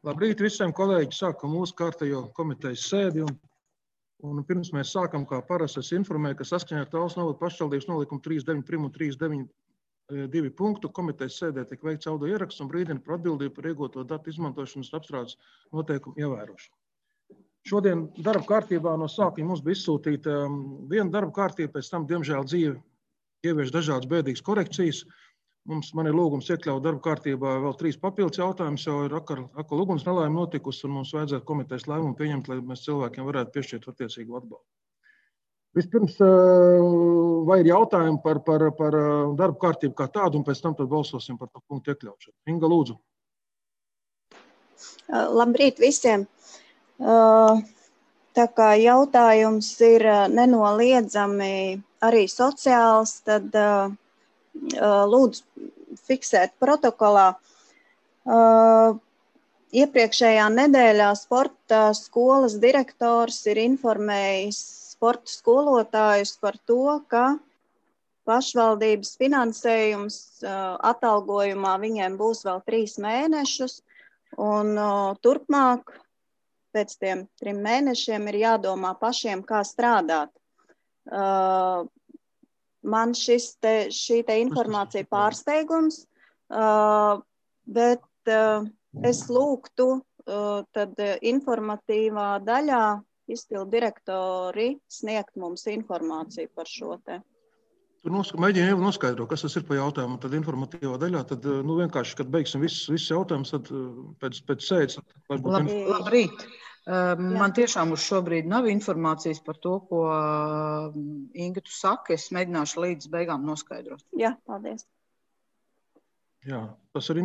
Labrīt visiem kolēģi, sākam mūsu kārtējo komitejas sēdi un pirms mēs sākam, kā parasti es informēju, ka saskaņā ar Talsu novada pašvaldības nolikumu 39.1 un 39.2 punktu komitejas sēdē tiek veikts audio ieraksts un brīdina par atbildību par iegūto datu izmantošanas apstrādes noteikumu ievērošanu. Šodien darba kārtībā no sākuma mums bija izsūtīta viena darba kārtība, pēc tam, diemžēl, dzīve ievieš dažādas bēdīgas korekcijas. Man ir lūgums iekļaut darba kārtībā vēl 3 papildus jautājumus, jo ir akla uguns nelaime notikusi un mums vajadzētu komitejas lēmumu pieņemt, lai mēs cilvēkiem varētu piešķirt attiecīgu atbalstu. Vispirms, vai ir jautājumi par darba kārtību kā tādu, un pēc tam tad balsosim par to punktu iekļaušanu. Inga, lūdzu. Labrīt visiem. Tā kā jautājums ir nenoliedzami arī sociāls, tad lūdzu fiksēt protokolā. Iepriekšējā nedēļā sporta skolas direktors ir informējis sporta skolotājus par to, ka pašvaldības finansējums atalgojumā viņiem būs vēl 3 mēnešus, un turpmāk pēc tiem 3 mēnešiem ir jādomā pašiem, kā strādāt. Man šī informācija pārsteigums, bet es lūgtu tad informatīvā daļā izpildu direktori sniegt mums informāciju par šo te. Tur mēģinu jau noskaidrot, kas tas ir pa jautājumu, tad informatīvā daļā, tad vienkārši, kad beigsim visus jautājumus, tad pēc sēdes. Labrīt. Man tiešām uz šobrīd nav informācijas par to, ko Inga tu saki. Es mēģināšu līdz beigām noskaidrot. Jā, paldies. Jā, tas ir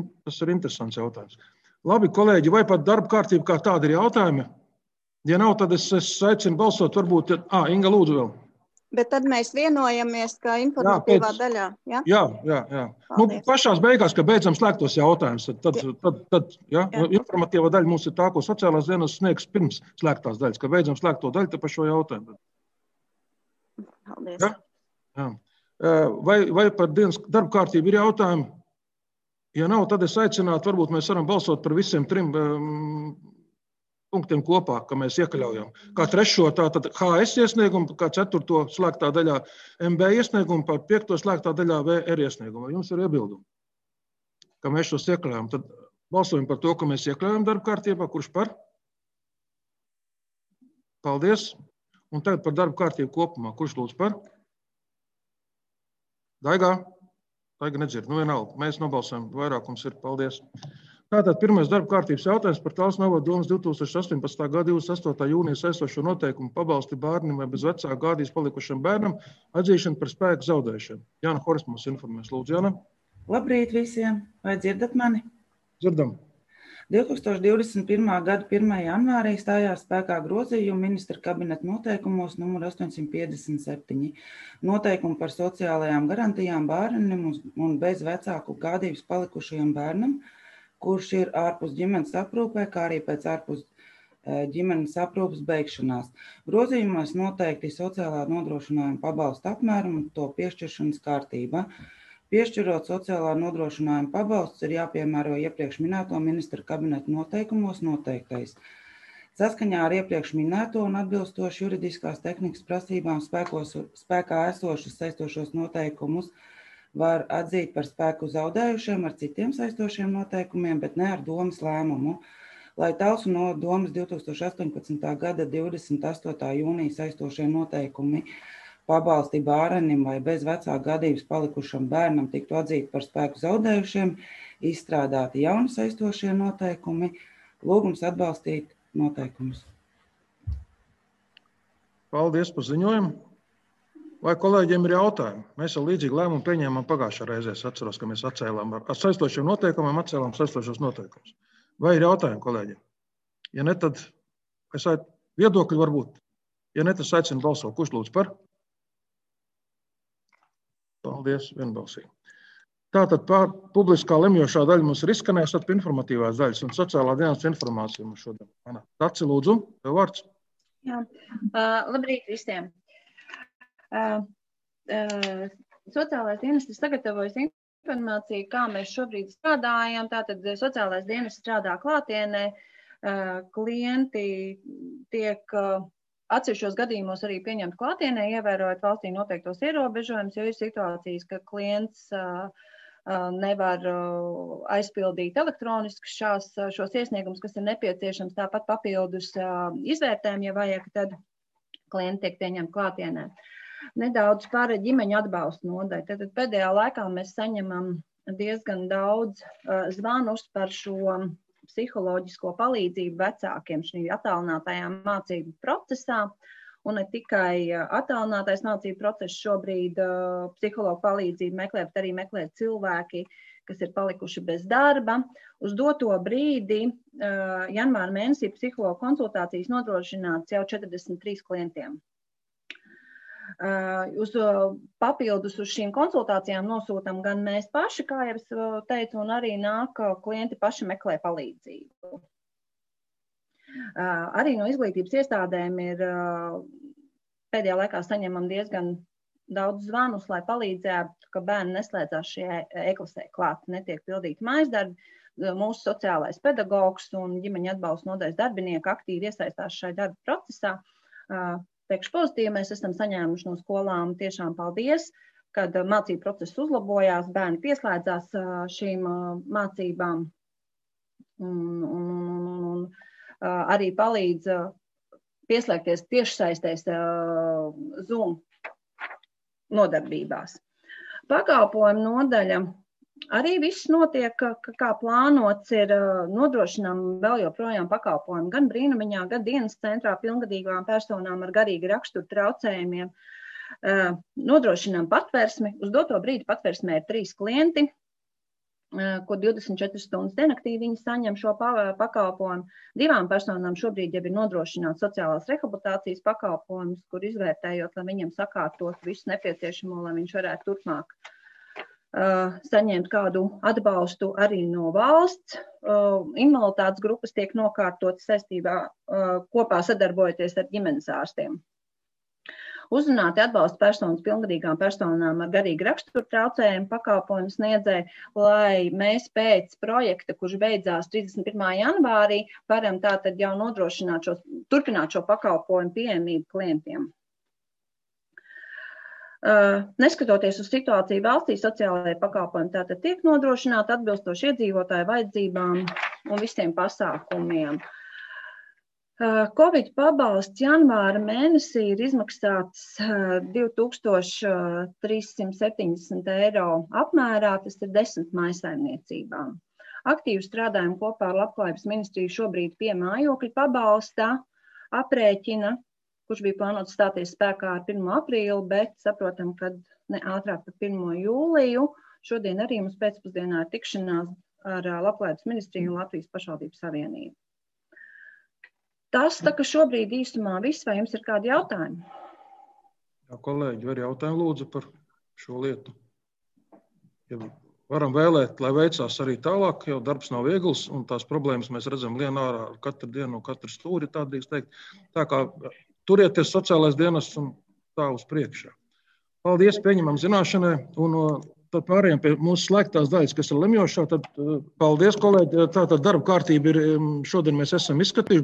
interesants jautājums. Labi, kolēģi, vai pat darba kārtība kā tāda ir jautājumi? Ja nav, tad es aicinu balsot, varbūt, Inga, lūdzu vēl. Bet tad mēs vienojamies, ka informatīvā daļā, ja? Jā. Pašās beigās, kad beidzam slēgtos jautājumus, tad informatīvā daļa mums ir tā, ko sociālās dienas sniegs pirms slēgtās daļas, kad beidzam slēgto daļu, tad par šo jautājumu. Paldies. Jā. Vai par dienas darba kārtību ir jautājumi? Ja nav, tad es aicinātu, varbūt mēs varam balsot par visiem 3 punktiem kopā, ka mēs iekļaujam. Kā 3. tātad HS iesniegumu, kā 4. slēgtā daļā MB iesniegumu, par 5. slēgtā daļā VR iesniegumu. Vai jums ir iebildumi, ka mēs šos iekļaujam? Tad balsojam par to, ka mēs iekļaujam darba kārtībā. Kurš par? Paldies. Un tagad par darba kārtību kopumā. Kurš lūdz par? Daigā nedzird. Vienalga. Mēs nobalsojam. Vairākums ir. Paldies. Tātad pirmais darba kārtības jautājums par Talsu novada domas 2018. gada 28. jūnija saistošo noteikumu pabalsti bērnam vai bez vecāka gādīs palikušam bērnam atzīšanu par spēku zaudēšanu. Jāna Horis mums informēs. Lūdzu, Jāna. Labrīt visiem. Vai dzirdat mani? Dzirdam. 2021. gada 1. janvārī stājās spēkā grozījumi ministra kabineta noteikumos numur 857. Noteikumi par sociālajām garantijām bērnam un bez vecāku gādības palikušajam bērnam, kurš ir ārpus ģimenes aprūpē, kā arī pēc ārpus ģimenes aprūpes beigšanās. Grozījumos noteikti sociālā nodrošinājuma pabalsta apmēram un to piešķiršanas kārtība. Piešķirot sociālā nodrošinājuma pabalsts ir jāpiemēro iepriekš minēto ministra kabineta noteikumos noteiktais. Saskaņā ar iepriekš minēto un atbilstoši juridiskās tehnikas prasībām spēkā esošus saistošos noteikumus var atzīt par spēku zaudējušiem ar citiem saistošiem noteikumiem, bet ne ar domas lēmumu. Lai Talsu no domas 2018. gada 28. jūnija saistošie noteikumi pabalsti bērnim vai bez vecāka gadības palikušam bērnam tiktu atzīt par spēku zaudējušiem, izstrādāti jauni saistošie noteikumi, lūgums atbalstīt noteikumus. Paldies par ziņojumu. Vai kolēģiem ir jautājumi? Mēs jau līdzīgi lēmumu pieņēmām pagājušā reizē. Es atceros, ka mēs atcēlām ar saistošiem noteikumiem, atcēlām saistošos noteikumus. Vai ir jautājumi, kolēģi? Ja ne, tad viedokļi varbūt. Ja ne, tad aicinu balsot. Kurš lūdz par? Paldies, vienbalsīgi. Tātad publiskā lemjošā daļa mums ir izskanējusi, tad informatīvās daļas un sociālā dienas informācija mums šodien. Taci, lūdzu, tev vārds. Jā, labrīt visiem. Sociālais dienests ir sagatavojis informāciju, kā mēs šobrīd strādājam. Tātad sociālais dienas strādā klātienē, klienti tiek atsevišķos gadījumos arī pieņemt klātienē, ievērojot valstī noteiktos ierobežojumus, jo ir situācijas, ka klients nevar aizpildīt elektroniski šos iesniegumus, kas ir nepieciešams, tāpat papildus izvērtējumu, ja vajag, tad klienti tiek pieņemti klātienē. Nedaudz par ģimeņu atbalstu nodaļu. Tad pēdējā laikā mēs saņemam diezgan daudz zvanus par šo psiholoģisko palīdzību vecākiem šī attālinātajā mācību procesā. Un ne tikai attālinātais mācību process šobrīd psihologu palīdzību meklē, bet arī meklē cilvēki, kas ir palikuši bez darba. Uz doto brīdi janvāra mēnesī psihologu konsultācijas nodrošināts jau 43 klientiem. Papildus uz šīm konsultācijām nosūtam gan mēs paši, kā jau es teicu, un arī nāk klienti paši meklē palīdzību. Arī no izglītības iestādēm ir pēdējā laikā saņemam diezgan daudz zvanus, lai palīdzētu, ka bērni neslēdzās šajā e-klasē klāt, netiek pildīti mājasdarbi. Mūsu sociālais pedagogs un ģimeņa atbalsta nodaļas darbinieki aktīvi iesaistās šajā darba procesā. Teikšu pozitīvi, mēs esam saņēmuši no skolām tiešām paldies, kad mācību process uzlabojās, bērni pieslēdzās šīm mācībām un arī palīdz pieslēgties tiešsaistēs Zoom nodarbībās. Pakalpojumu nodaļa arī viss notiek, kā plānots, ir nodrošinām vēl joprojām pakalpojumu gan brīnumiņā, gan dienas centrā pilngadīgām personām ar garīgi raksturu traucējumiem. Nodrošinām patversmi. Uz doto brīdi patversmē ir 3 klienti, kur 24 stundas diennaktī viņi saņem šo pakalpojumu. 2 personām šobrīd jau ir nodrošināts sociālās rehabilitācijas pakalpojums, kur izvērtējot, lai viņam sakārtot visu nepieciešamo, lai viņš varētu turpmāk saņemt kādu atbalstu arī no valsts. Invaliditātes grupas tiek nokārtotas saistībā kopā sadarbojoties ar ģimenes ārstiem. Uzrunāti atbalsta personas pilngadīgām personām ar garīgi raksturu traucējumu pakalpojumu sniedzēju, lai mēs pēc projekta, kurš beidzās 31. janvārī, varam tātad jau nodrošināt turpināt šo pakalpojumu pieejamību klientiem. Neskatoties uz situāciju valstī, sociālajie pakalpojumi tātad tiek nodrošināti atbilstoši iedzīvotāju vajadzībām un visiem pasākumiem. Covid pabalsts janvāra mēnesī ir izmaksāts 2370 eiro apmērā, tas ir 10 mājsaimniecībām. Aktīvi strādājam kopā ar Labklājības ministriju šobrīd pie mājokļu pabalsta aprēķina, kurš bija plānots stāties spēkā ar 1. aprīli, bet saprotam, ka ne ātrāk par 1. jūliju. Šodien arī mums pēcpusdienā ir tikšanās ar Labklājības ministriju un Latvijas pašvaldības savienību. Tas tā, ka šobrīd īstumā viss, vai jums ir kādi jautājumi? Jā, kolēģi, var jautājumu lūdzu par šo lietu. Ja varam vēlēt, lai veicās arī tālāk, jo darbs nav viegls, un tās problēmas mēs redzam lien ārā katru dienu, katru stūri, tā drīkst teikt. Tā kā turieties sociālais dienas un tā uz priekšā. Paldies, pieņemam zināšanai, un tad pārējām pie mūsu slēgtās daļas, kas ir lemjošā. Tad paldies, kolēģi, tātad darba kārtība ir, šodien mēs esam izskatījuši.